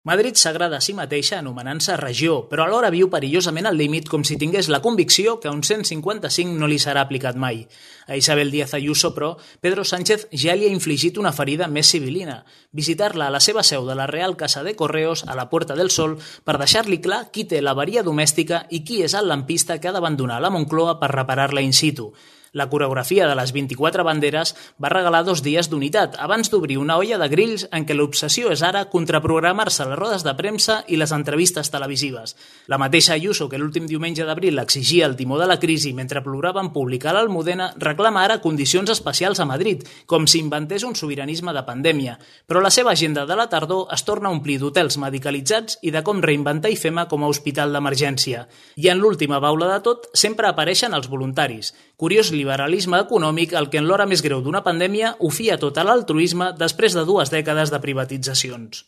Madrid s'agrada a si mateixa anomenant-se regió, però alhora viu perillosament al límit com si tingués la convicció que un 155 no li serà aplicat mai. A Isabel Díaz Ayuso, però, Pedro Sánchez ja li ha infligit una ferida més civilina, visitar-la a la seva seu de la Real Casa de Correos a la Puerta del Sol per deixar-li clar qui té l'avaria domèstica i qui és el lampista que ha d'abandonar la Moncloa per reparar-la in situ. La coreografia de les 24 banderes va regalar 2 dies d'unitat, abans d'obrir una olla de grills en què l'obsessió és ara contraprogramar-se les rodes de premsa i les entrevistes televisives. La mateixa Ayuso, que l'últim diumenge d'abril exigia el timó de la crisi mentre plorava en públic a l'Almudena, reclama ara condicions especials a Madrid, com si inventés un sobiranisme de pandèmia. Però la seva agenda de la tardor es torna a omplir d'hotels medicalitzats i de com reinventar IFEMA com a hospital d'emergència. I en l'última baula de tot sempre apareixen els voluntaris. Curiós liberalisme econòmic el que en l'hora més greu d'una pandèmia ho fia tot a l'altruisme després de 2 dècades de privatitzacions.